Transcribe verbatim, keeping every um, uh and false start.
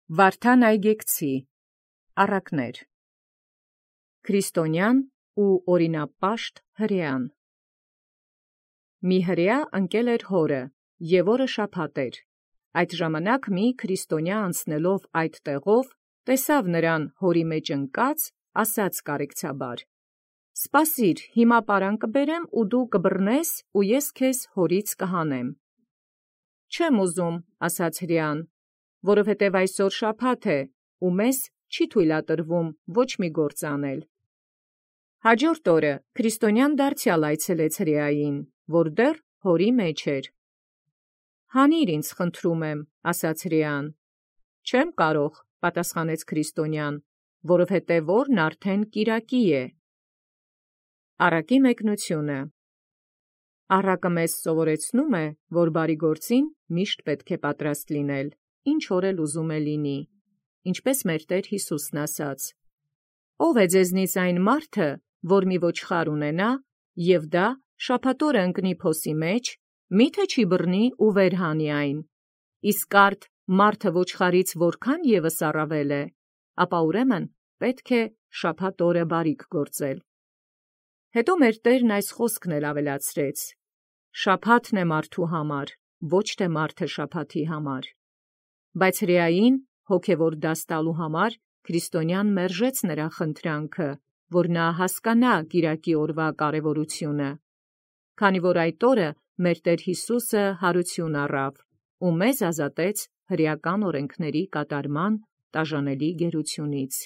Վարդան Այգեկցի առակներ Քրիստոնյան ու օրինապաշտ հրեան։ Մի հրեա ընկել էր հորը, և օրը շաբաթ էր։ Այդ ժամանակ մի քրիստոնյա անցնելով այդ տեղով, տեսավ նրան հորի մեջ ընկած, ասաց կարեկցաբար. «Սպասիր, հիմա պարան կբերեմ, ու դու կբռնես, ու ես քեզ հորից կհանեմ»։ «Չեմ ուզում», ասաց հրեան, «որովհետև այսօր շաբաթ է, ու մեզ չի թույլատրվում ոչ մի գործ անել»։ Հաջորդ օրը քրիստոնյան դարձյալ այցելեց հրեային, որ դեռ հորի մեջ էր։ «Հանիր ինձ, խնդրում եմ», ասաց հրեան։ «Չեմ կարող», պատասխանեց քրիստոնյան, «որովհետև օրն արդեն կիրակի է»։ Առակի մեկնությունը։ Առակը մեզ սովորեցնում է, որ բարի գործին միշտ պետք է պատրաստ լինել, ինչ որ էլ ուզում է լինի, ինչպես մեր Տեր Հիսուսն ասաց. «Ո՞վ է ձեզնից այն մարդը, որ մի ոչխար ունենա, և դա շաբաթ օրը ընկնի փոսի մեջ, մի՞թե չի բռնի ու վեր հանի այն։ Իսկ արդ մարդը ոչխարից որքան ևս առավել է, ապա ուրեմն պետք է շաբաթ օրը բարիք գործել»։ Հետո մեր Տերն այս խոսքն էլ ավելացրեց. «Շաբաթն է մարդու համար, ոչ թե մարդը շաբաթի համար»։ Բայց հրեային հոգևոր դաս տալու համար քրիստոնյան մերժեց նրա խնդրանքը, որ նա հասկանա կիրակի օրվա կարևորությունը, քանի որ այդ օրը մեր Տեր Հիսուսը հարություն առավ ու մեզ ազատեց հրեական օրենքների կատարման տաժանելի գերությունից։